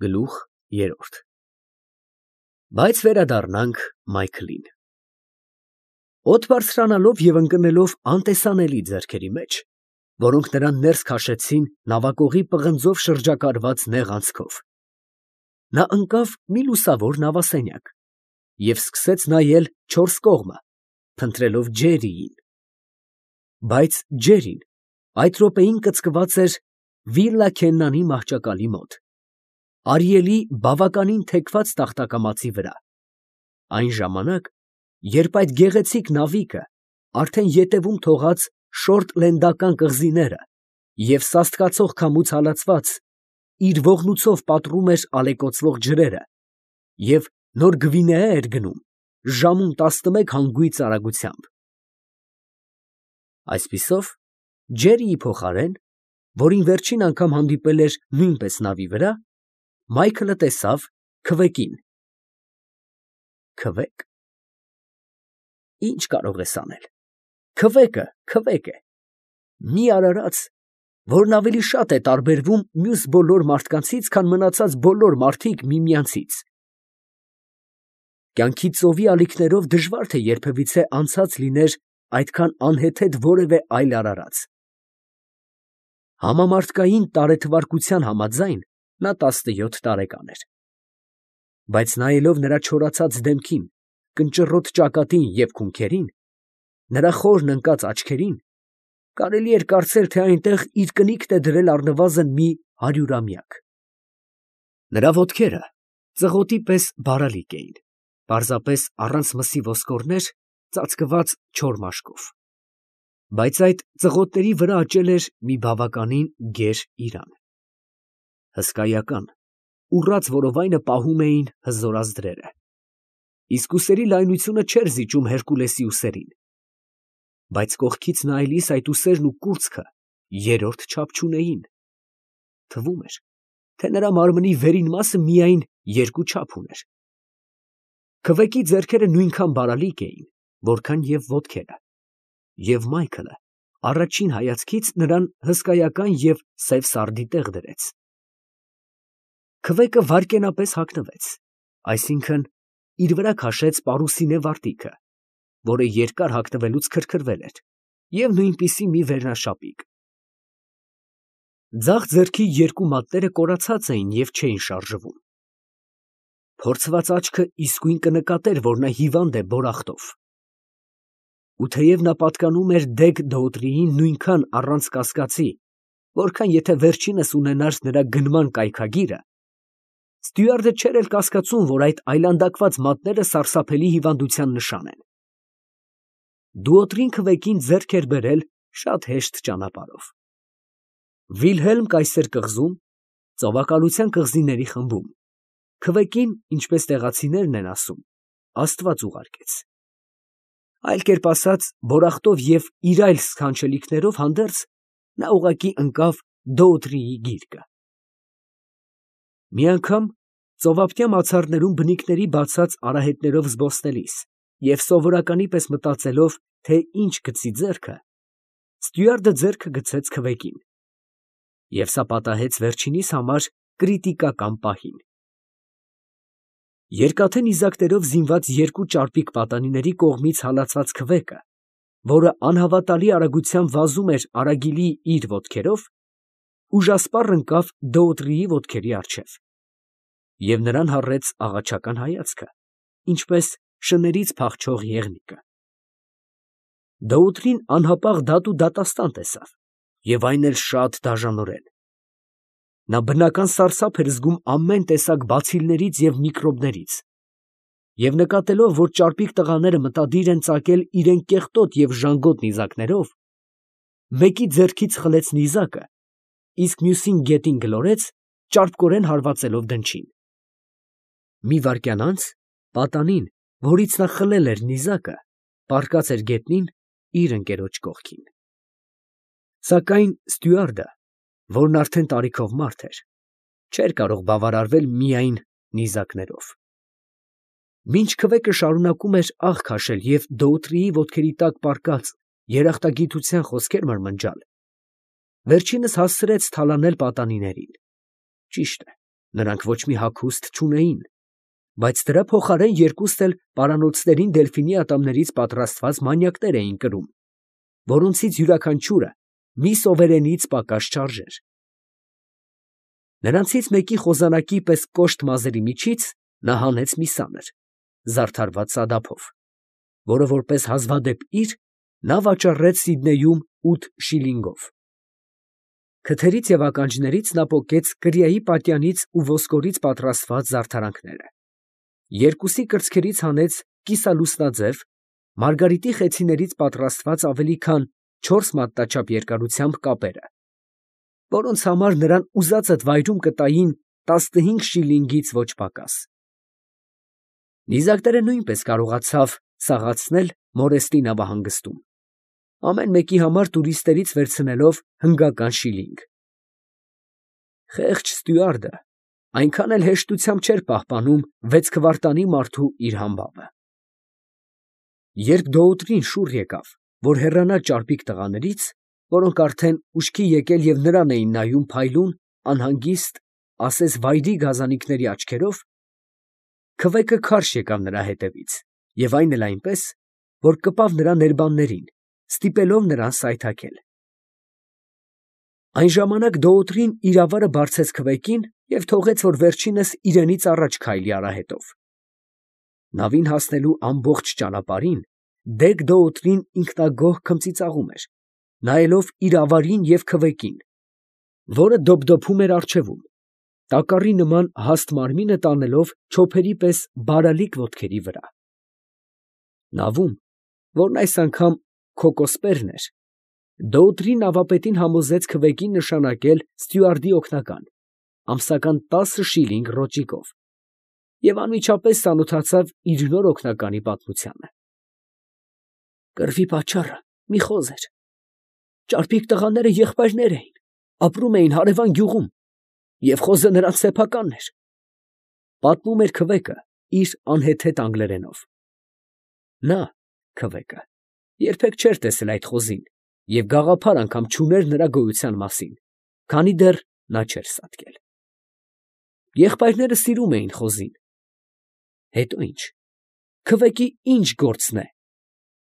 Գլուխ 3 Բայց վերադառնանք Մայքլին։ Օդ բարձրանալով և ընկնելով անտեսանելի ձեռքերի մեջ, որոնք նրան ներս քաշեցին նավակողի պղնձով շրջակայված նեղ անցքով, նա ընկավ մի լուսավոր նավասենյակ և սկսեց նայել չորս կողմը, փնտրելով Ջերրիին. բայց Ջերրին այդ րոպեին կծկված էր Վիլլա Քեննանի մահճակալի մոտ, Արիելի բավականին թեքված տախտակամածի վրա, այն ժամանակ, երբ այդ գեղեցիկ նավիկը արդեն ետևում թողած շորտլենդական կղզիները և սաստկացող քամուց հալածված, իր ողնույթով պատռում էր ալեկոծվող ջրերը և Նոր Գվինեա էր գնում ժամում 11 հանգույց արագությամբ։ Այսպիսով, Ջերրիի փոխարեն, որին վերջին անգամ հանդիպել էր նույնպես նավի վրա, Մայքլը տեսավ Քվեկին։ Քվե՞կ։ Ի՞նչ կարող ես անել։ Քվեկը քվեկ է, մի արարած, որն ավելի շատ է տարբերվում մյուս բոլոր մարդկանցից, քան մնացած բոլոր մարդիկ միմյանցից։ Կյանքի ծովի ալիքներով դժվար թե երբևիցե անցած լիներ այդքան անհեթեթ որևէ այլ արարած։ Համամարտկային տարեթվարկության համաձայն նա 17 տարեկան էր։ Բայց նայելով նրա չորացած դեմքին, կնճռոտ ճակատին և քունքերին, նրա խորն ընկած աչքերին, կարելի էր կարծել, թե այնտեղ իր կնիքն է դրել առնվազն մի 100-ամյակ։ Նրա ոտքերը ծղոտի պես բարալիկ էին, պարզապես առանց մսի ոսկորներ, ծածկված չոր մաշկով, բայց այդ ծղոտների վրա աճել էր մի բավականին գեր իրան։ Հսկայական, ուռած որովայնը պահում էին հզոր ազդրերը, իսկ ուսերի լայնությունը չէր զիջում Հերկուլեսի ուսերին, բայց կողքից նայելիս այդ ուսերն ու կուրծքը երրորդ չափ չունեին, թվում էր, թե նրա մարմնի վերին մասը միայն երկու չափ ուներ։ Քվեկի ձեռքերը նույնքան բարալիկ էին, որքան և ոտքերը, և Մայքլը առաջին հայացքից նրան հսկայական և սև սարդի տեղ դրեց։ Քվեկը վայրկենապես հագնվեց, այսինքն իր վրա քաշեց պարուսինե վարտիքը, որը երկար հագնվելուց քրքրվել էր, և նույնպիսի մի վերնաշապիկ։ Ձախ ձեռքի երկու մատները կորացած էին և չէին շարժվում։ Փորձված աչքը իսկույն կնկատեր, որ նա հիվանդ է բորախտով։ Ու թեև նա պատկանում էր Դեգ Դոուտրիին նույնքան առանց կասկածի, որքան եթե վերջինս ունենար նրա գնման կայքագիրը, ստյուարդը չէր էլ կասկածում, որ այդ այլանդակված մատները սարսափելի հիվանդության նշան են։ Դուոտրին քվեկին ձեռք էր բերել շատ հեշտ ճանապարհով։ Վիլհելմ կայսեր կղզում, ծովակալության կղզիների խմբում, քվեկին, ինչպես տեղացիներն են ասում, Աստված ուղարկեց։ Այլ կերպ ասած, բորախտով և իր այլ սքանչելիքներով հանդերձ, նա ուղղակի ընկավ Դոուտրիի գիրկը։ Մի անգամ ծովափնյա մացառներում բնիկների բացած արահետներով զբոսնելիս և սովորականի պես մտածելով, թե ինչ գցի ձեռքը, ստյուարդը ձեռքը գցեց քվեկին, և սա պատահեց վերջինիս համար կրիտիկական պահին։ Երկաթե նիզակներով զինված երկու ճարպիկ պատանիների կողմից հալածած քվեկը, որը անհավատալի արագությամբ վազում էր արագիլի իր ոտքերով, ուժասպառ ընկավ Դոուտրիի ոտքերի առջև, և նրան հառեց աղաչական հայացքը, ինչպես շներից փախչող եղնիկը։ Դոուտրին անհապաղ դատ ու դատաստան տեսավ, և այն էլ շատ դաժանորեն։ Նա բնական սարսափ էր զգում ամեն տեսակ բացիլներից և միկրոբներից, և նկատելով, որ ճարպիկ տղաները մտադիր են ծակել իրան կեղտոտ և ժանգոտ նիզակներով, մեկի ձեռքից խլեց նիզակը, իսկ մյուսին գետին գլորեց, ճարպկորեն հարվածելով դնչին։ Մի վայրկյան անց պատանին, որից նա խլել էր նիզակը, պառկած էր գետնին իր ընկերոջ կողքին։ Սակայն ստյուարդը, որն արդեն տարիքով մարդ էր, չէր կարող բավարարվել միայն նիզակներով։ Մինչ քվեկը շարունակում էր աղ քաշել և Դոուտրիի ոտքերի տակ պառկած երախտագիտության խոսքեր մրմնջալ, վերջինս հասցրեց թալանել պատանիներին։ Ճիշտ է, նրանք ոչ մի հագուստ չունեին, բայց դրա փոխարեն երկուստ էլ պարանոցներին դելֆինի ատամներից պատրաստված մանյակներ էին կրում, որոնցից յուրաքանչյուրը մի սովերենից պակաս չարժեր։ Նրանցից մեկի խոզանակի պես կոշտ մազերի միջից նա հանեց մի սանր, զարդարված սադափով, որը որպես հազվադեպ իր նա վաճառեց Սիդնեյում 8 շիլինգով։ Քթերից և ականջներից նա պոկեց կրիայի պատյանից ու ոսկորից պատրաստված զարդարանքները, երկուսի կրծքերից հանեց կիսալուսնաձև, մարգարիտի խեցիներից պատրաստված ավելի քան 4 մատնաչափ երկարությամբ կապերը, որոնց համար նրան ուզածդ վայրում կտային 15 շիլինգից ոչ պակաս։ Նիզակները նույնպես կարողացավ սաղացնել Մորեստի նավահանգստում, ամեն մեկի համար տուրիստերից վերցնելով հնգական շիլինգ։ Խեղճ ստյուարդը այնքան էլ հեշտությամբ չէր պահպանում 6 քվարտանի մարդու իր համբավը։ Երբ դոուտրին շուռ եկավ, որ հեռանա ճարպիկ տղաներից, որոնք արդեն ուշքի եկել և նրան էին նայում փայլուն, անհանգիստ, ասես վայրի գազանիկների աչքերով, քվեկը քարշ եկավ նրա հետևից և այն էլ այնպես, որ կպավ նրա ներբաններին, ստիպելով նրան սայթաքել։ Այն ժամանակ դոուտրին իր ավարը բարձեց քվեկին և թողեց, որ վերջինս իրենից առաջ քայլի արահետով։ Նավին հասնելու ամբողջ ճանապարհին դեգ դոուտրին ինքնագոհ քմծիծաղում էր, նայելով իր ավարին և քվեկին, որը դոփդոփում էր առջևում, տակառի նման հաստ մարմինը տանելով չոփերի պես բարալիկ ոտքերի վրա։ Նավում, որն այս անգամ քոկոսպերն էր, դոուտրին նավապետին համոզեց քվեկին նշանակել ստյուարդի օգնական, ամսական 10 շիլինգ ռոճիկով, և անմիջապես ծանոթացավ իր նոր օգնականի պատմությանը։ Կռվի պատճառը մի խոզ էր։ Ճարպիկ տղաները եղբայրներ էին, ապրում էին հարևան գյուղում, և խոզը նրանց սեփականն էր, պատմում էր քվեկը իր անհեթեթ անգլերենով։ Նա (քվեկը) երբեք չէր տեսել այդ խոզին և գաղափար անգամ չուներ նրա գոյության մասին, քանի դեռ նա չէր սատկել։ Եղբայրները սիրում էին խոզին։ Հետո ի՞նչ, քվեկի ի՞նչ գործն է։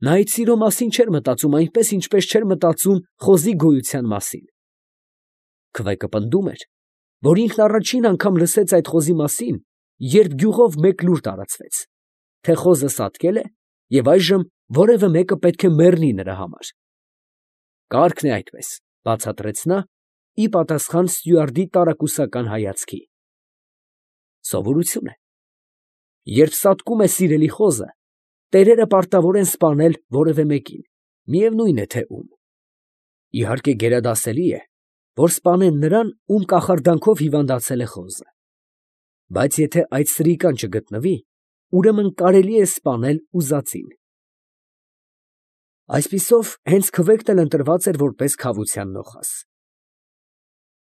Նա այդ սիրո մասին չէր մտածում այնպես, ինչպես չէր մտածում խոզի գոյության մասին։ Քվեկը պնդում էր, որ ինքն առաջին անգամ լսեց այդ խոզի մասին, երբ գյուղով մեկ լուր տարածվեց, թե խոզը սատկել է և այժմ որևէ մեկը պետք է մեռնի նրա համար։ Կարգն է այդպես, բացատրեց նա, ի պատասխան ստյուարդի տարակուսական հայացքի։ Սովորություն է։ Երբ սատկում է սիրելի խոզը, տերերը պարտավոր են սպանել որևէ մեկին, միևնույն է թե ում։ Իհարկե գերադասելի է, որ սպանեն նրան, ում կախարդանքով հիվանդացել է խոզը։ Բայց եթե այդ սրիկան չգտնվի, ուրեմն կարելի է սպանել ուզածին։ Այսպիսով, հենց քվեկն էլ ընտրված էր որպես քավության նոխազ։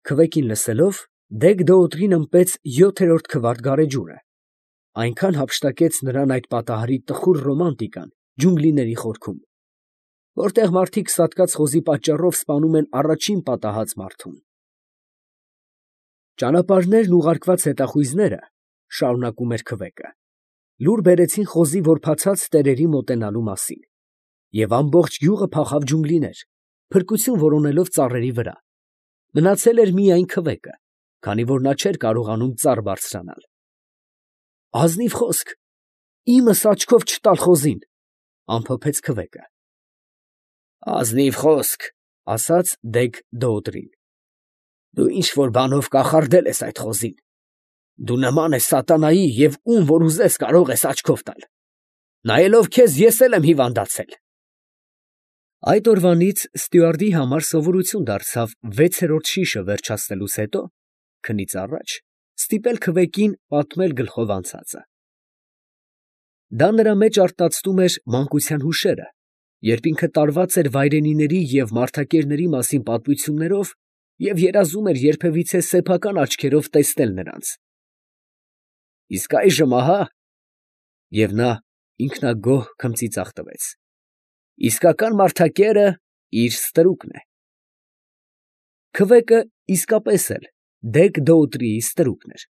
Քվեկին լսելով, դեգ դոուտրին ըմպեց 7-րդ քվարտ գարեջուրը, այնքան հափշտակեց նրան այդ պատահարի տխուր ռոմանտիկան ջունգլիների խորքում, որտեղ մարդիկ սատկած խոզի պատճառով սպանում են առաջին պատահած մարդուն։ Ճանապարհներն ուղարկված հետախույզները, շարունակում էր քվեկը, լուր բերեցին խոզի որբացած տերերի մոտենալու մասին, և ամբողջ գյուղը փախավ ջունգլիներ, փրկություն որոնելով ծառերի վրա։ Մնացել էր միայն քվեկը, քանի որ նա չէր կարողանում ծառ բարձրանալ։ Ազնիվ խոսք, իմս աչքով չտալ խոզին, ամփոփեց քվեկը։ Ազնիվ խոսք, ասաց դեգ դոուտրին, դու ինչ որ բանով կախարդել ես այդ խոզին։ Դու նման ես սատանայի և ում որ ուզես կարող ես աչքով տալ։ Նայելով քեզ ես էլ եմ հիվանդացել։ Այդ օրվանից ստյուարդի համար սովորություն դարձավ 6-րդ շիշը վերջացնելուց հետո, քնից առաջ, ստիպել քվեկին պատմել գլխով անցածը։ Դա նրա մեջ արթնացնում էր մանկության հուշերը, երբ ինքը տարված էր վայրենիների և մարդակերների մասին պատմություններով և երազում էր երբևիցե սեփական աչքերով տեսնել նրանց։ Իսկ այժմ ահա… և նա ինքնագոհ քմծիծաղ տվեց, իսկական մարդակերը իր ստրուկն է։ Քվեկը իսկապես էլ դեգ դոուտրիի ստրուկն էր։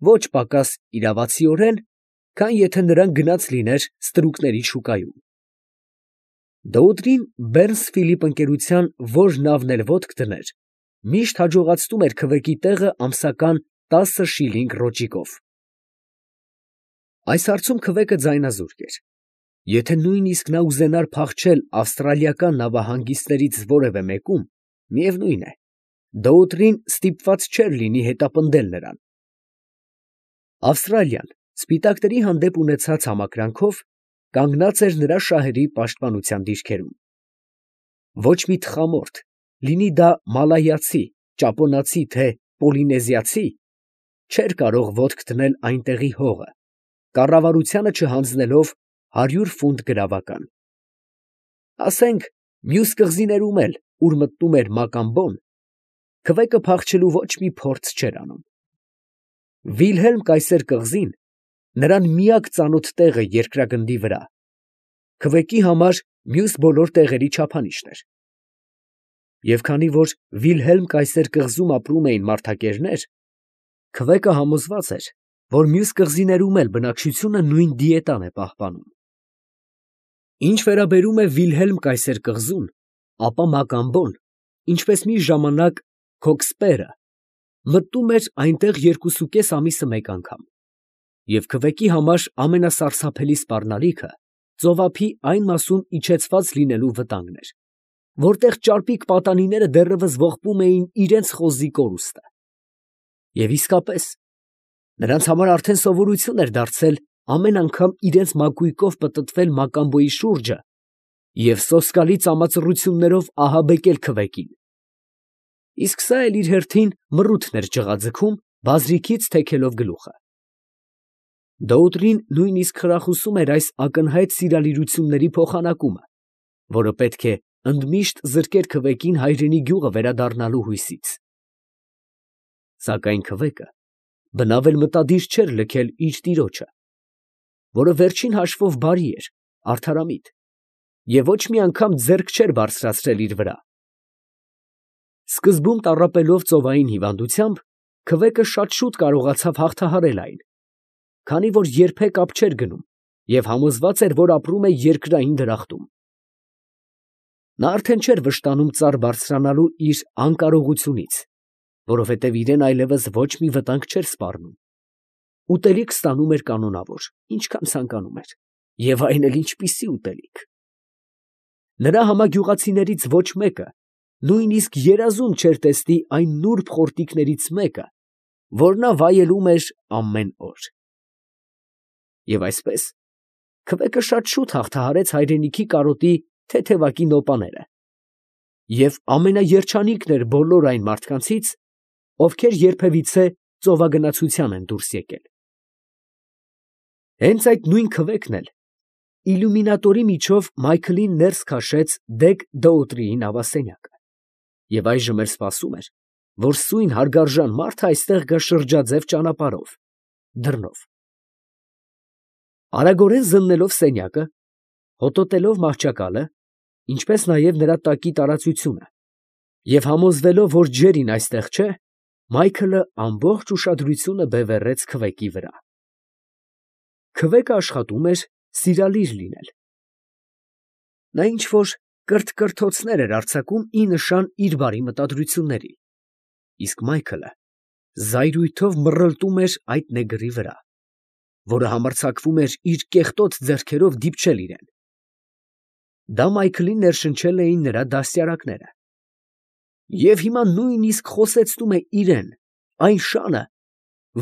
ոչ պակաս իրավացիորեն, քան եթե նրան գնաց լիներ ստրուկների շուկայում։ Դոուդրին Բեռնսֆիլիպ ընկերության որ նավն էլ ոտք դներ, միշտ հաջողացնում էր քվեկի տեղը ամսական 10 շիլինգ ռոճիկով։ Այս հարցում քվեկը ձայնազուրկ էր։ Եթե նույնիսկ նա ուզենար փախչել ավստրալիական նավահանգիստներից որևէ մեկում, միևնույն է, Դոուդրին ստիպված չէր լինի հետապնդել նրան։ Ավստրալիան սպիտակների հանդեպ ունեցած համակրանքով կանգնած էր նրա շահերի պաշտպանության դիրքերում։ Ոչ մի թխամորթ, լինի դա մալայացի, ճապոնացի, թե պոլինեզիացի, չէր կարող ոտք դնել այնտեղի հողը, կառավարությանը չհանձնելով 100 ֆունտ գրավական։ Ասենք, մյուս կղզիներում էլ, ուր մտնում էր Մակամբոն, քվեկը փախչելու ոչ մի փորձ չէր անում։ Վիլհելմ կայսեր կղզին նրան միակ ծանոթ տեղը երկրագնդի վրա, քվեկի համար մյուս բոլոր տեղերի չափանիշն էր։ Եվ քանի որ Վիլհելմ կայսեր կղզում ապրում էին մարդակերներ, քվեկը համոզված էր, որ մյուս կղզիներում էլ բնակչությունը նույն դիետան է պահպանում։ Ինչ վերաբերում է Վիլհելմ կայսեր կղզուն, ապա Մակամբոն, ինչպես մի ժամանակ Քոքսպերը, մտնում էր այնտեղ 2.5 ամիսը մեկ անգամ, և քվեկի համար ամենասարսափելի սպառնալիքը ծովափի այն մասում իջեցված լինելու վտանգն էր, որտեղ ճարպիկ պատանիները դեռևս ողբում էին իրենց խոզի կորուստը։ Եվ իսկապես, նրանց համար արդեն սովորություն էր դարձել ամեն անգամ իրենց մակույկով պտտվել Մակամբոյի շուրջը և սոսկալի ծամածռություններով ահաբեկել քվեկին։ Իսկ սա էլ իր հերթին մռութն էր ջղաձգում, բազրիքից թեքելով գլուխը։ Դոուդրին նույնիսկ խրախուսում էր այս ակնհայտ սիրալիրությունների փոխանակումը, որը պետք է ընդմիշտ զրկեր քվեկին հայրենի գյուղը վերադառնալու հույսից։ Սակայն քվեկը բնավ էլ մտադիր չէր լքել իր տիրոջը, որը վերջին հաշվով բարի էր, արդարամիտ, և ոչ մի անգամ ձեռք չէր բարձրացրել իր վրա։ Սկզբում տառապելով ծովային հիվանդությամբ, քվեկը շատ շուտ կարողացավ հաղթահարել այն, քանի որ երբեք ափ չէր գնում և համոզված էր, որ ապրում է երկրային դրախտում։ Նա արդեն չէր վշտանում ծառ բարձրանալու իր անկարողությունից, որովհետև իրեն այլևս ոչ մի վտանգ չէր սպառնում։ Ուտելիք ստանում էր կանոնավոր, ինչքան ցանկանում էր, և այն էլ ինչպիսի ուտելիք։ Նրա համագյուղացիներից ոչ մեկը նույնիսկ երազում չէր տեսնի այն նուրբ խորտիկներից մեկը, որ նա վայելում էր ամեն օր։ Եվ այսպես, քվեկը շատ շուտ հաղթահարեց հայրենիքի կարոտի թեթևակի նոպաները և ամենաերջանիկն էր բոլոր այն մարդկանցից, ովքեր երբևիցե ծովագնացության են դուրս եկել։ Հենց այդ նույն քվեկն էլ իլյումինատորի միջով Մայքլին ներս քաշեց Դեկ Դոուտրիի նավասենյակը, և այժմ էլ սպասում էր, որ սույն հարգարժան մարդը այստեղ գա շրջաձև ճանապարհով, դռնով։ Արագորեն զննելով սենյակը, հոտոտելով մահճակալը, ինչպես նաև նրա տակի տարածությունը, և համոզվելով, որ ջերին այստեղ չէ, Մայքլը ամբողջ ուշադրությունը բևեռեց քվեկի վրա։ Քվեկը աշխատում էր սիրալիր լինել։ Նա ինչ-որ կրթկրթոցներ էր արձակում ի նշան իր բարի մտադրությունների, իսկ Մայքլը զայրույթով մռլտում էր այդ նեգրի վրա, որը համարձակվում էր իր կեղտոտ ձեռքերով դիպչել իրան։ Դա Մայքլին ներշնչել էին նրա դաստիարակները։ Եվ հիմա նույնիսկ խոսեցնում է իրան, այն շանը,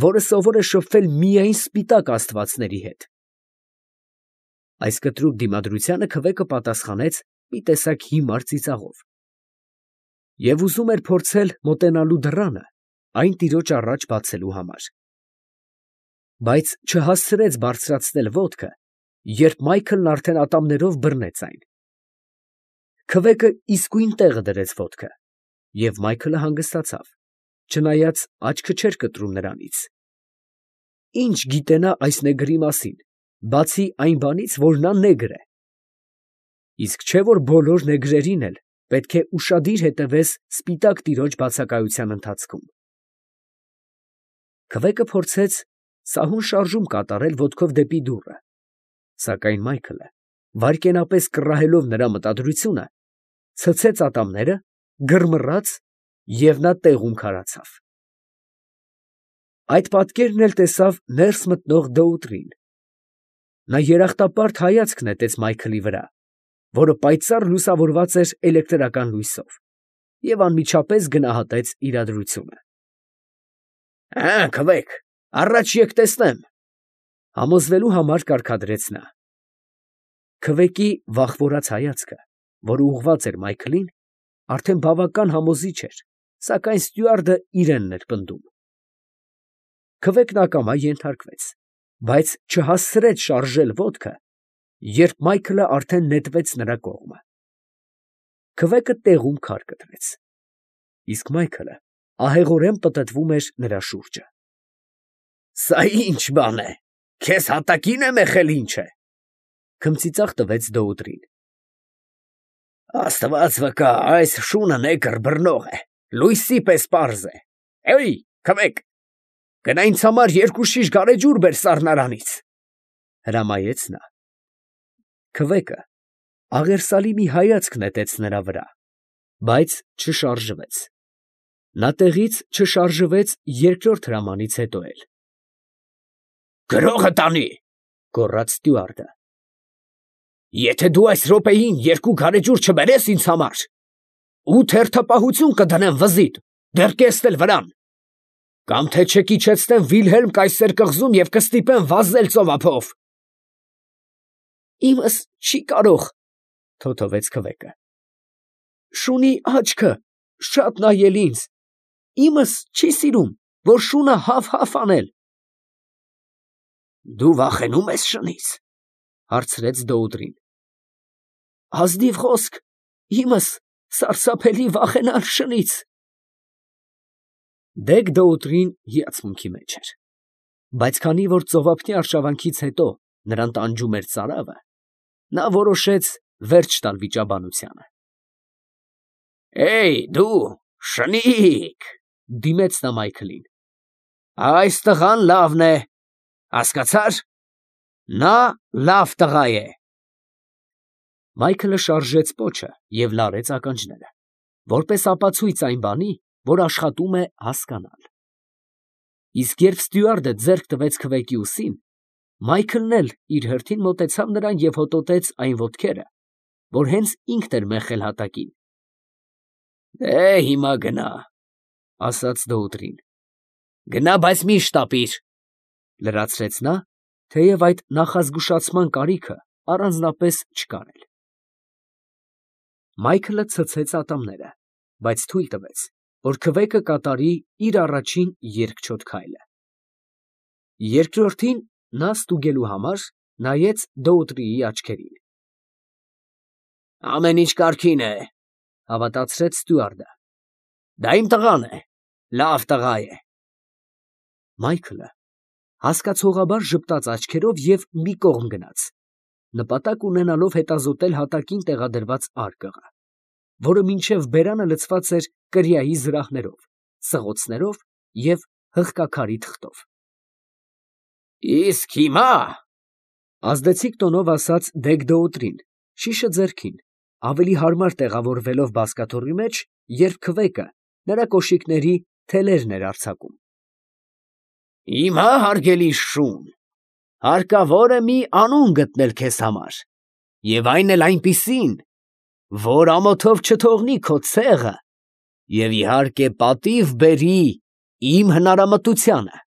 որը սովոր է շփվել միայն սպիտակ աստվածների հետ։ Այս կտրուկ դիմադրությանը քվեկը պատասխանեց մի տեսակ հիմար ծիծաղով և ուզում էր փորձել մոտենալու դռանը այն տիրոջ առաջ բացելու համար։ Բայց չհասցրեց բարձրացնել ոտքը, երբ Մայքլն արդեն ատամներով բռնեց այն։ Քվեկը իսկույն տեղը դրեց ոտքը, և Մայքլը հանգստացավ, չնայած աչքը չէր կտրում նրանից։ Ինչ գիտենա այս նեգրի մասին, բացի այն բանից, որ նա նեգր է։ Իսկ չէ՞ որ բոլոր նեգրերին էլ պետք է ուշադիր հետևես սպիտակ տիրոջ բացակայության ընթացքում։ Քվեկը փորձեց սահուն շարժում կատարել ոտքով դեպի դուռը, սակայն Մայքլը, վայրկենապես կռահելով նրա մտադրությունը, ցցեց ատամները, գրմռաց և նա տեղում քարացավ։ Այդ պատկերն էլ տեսավ ներս մտնող Դոուտրին. նա երախտապարտ հայացք նետեց Մայքլի վրա, որը պայծառ լուսավորված էր էլեկտրական լույսով, և անմիջապես գնահատեց իրադրությունը։ Քվեք, առաջ եկ տեսնեմ, համոզվելու համար կարգադրեց նա։ Քվեկի վախվորած հայացքը, որը ուղղված էր Մայքլին, արդեն բավական համոզիչ էր, սակայն ստյուարդը իրենն էր պնդում։ Քվեկն ակամա ենթարկվեց, բայց չհասցրեց շարժել ոտքը, երբ Մայքլը արդեն նետվեց նրա կողմը։ Քվեկը տեղում քար կտրեց, իսկ Մայքլը ահեղորեն պտտվում էր նրա շուրջը։ «Սա ի՞նչ բան է, քեզ հատակին եմ եղել, ինչ է», քմծիծաղ տվեց Դոուտրին։ «Աստված վկա, այս շունը նեկր բռնող է, լույսի պես պարզ է։ Էյ, քվեք, գնա ինձ համար 2 շիշ գարեջուր բեր սառնարանից», հրամայեց նա։ Քվեկը աղերսալի մի հայացք նետեց նրա վրա, բայց չշարժվեց։ Նա տեղից չշարժվեց երկրորդ հրամանից հետո էլ։ «Գրողը տանի», գոռաց ստյուարդը։ «Եթե դու այս րոպեին 2 գարեջուր չբերես ինձ համար, 8 հերթապահություն կդնեմ վզիդ, դեռ կեսն էլ վրան, կամ թե չկիչեցնեմ Վիլհելմ կայսեր կղզում և կստիպեմ վազել ծովափով»։ «Իմս չի կարող», թոթվեց քվեկը։ «Շունի աչքը շատ նայել ինձ, իմս չի սիրում, որ շունը հավ անել»։ «Դու վախենու՞մ ես շնից», հարցրեց Դոուտրին։ «Ազնիվ խոսք, իմս սարսափելի վախենալ շնից»։ Դեգ Դոուտրին հիացմունքի մեջ էր, բայց քանի որ ծովափնյա արշավանքից հետո նրան տանջում էր ծարավը, նա որոշեց վերջ տալ վիճաբանությանը։ «Էյ, դու, շնիկ», դիմեց նա Մայքլին, «այս տղան լավն է, հասկացա՞ր, նա լավ տղա է»։ Մայքլը շարժեց պոչը և լարեց ականջները, որպես ապացույց այն բանի, որ աշխատում է հասկանալ։ Իսկ երբ ստյուարդը ձեռք տվեց քվեկի ուսին, Մայքլն էլ իր հերթին մոտեցավ նրան և հոտոտեց այն ոտքերը, որ հենց ինքն էր մեխել հատակին։ «Դե հիմա գնա», ասաց Դոուտրին։ «Գնա, բայց մի շտապիր», լրացրեց նա, թեև այդ նախազգուշացման կարիքը առանձնապես չկար էլ։ Մայքլը ցցեց ատամները, բայց թույլ տվեց, որ քվեկը կատարի իր առաջին երկչոտ քայլը։ Երկրորդին նա ստուգելու համար նայեց Դոուտրիի աչքերին։ «Ամեն ինչ կարգին է», հավատացրեց ստյուարդը։ «Դա իմ տղան է, լավ տղա է»։ Մայքլը հասկացողաբար ժպտաց աչքերով և մի կողմ գնաց, նպատակ ունենալով հետազոտել հատակին տեղադրված արկղը, որը մինչև բերանը լցված էր կրիայի զրահներով, սղոցներով և հղկաքարի թղթով։ «Իսկ հիմա», ազդեցիկ տոնով ասաց Դեգ Դոուտրին, շիշը ձեռքին, ավելի հարմար տեղավորվելով բազկաթոռի մեջ, երբ քվեկը նրա կոշիկների թելերն էր արձակում, «հիմա, հարգելի շուն, հարկավոր է մի անուն գտնել քեզ համար, և այն էլ այնպիսին, որ ամոթով չթողնի քո ցեղը և իհարկե պատիվ բերի իմ հնարամտությանը»։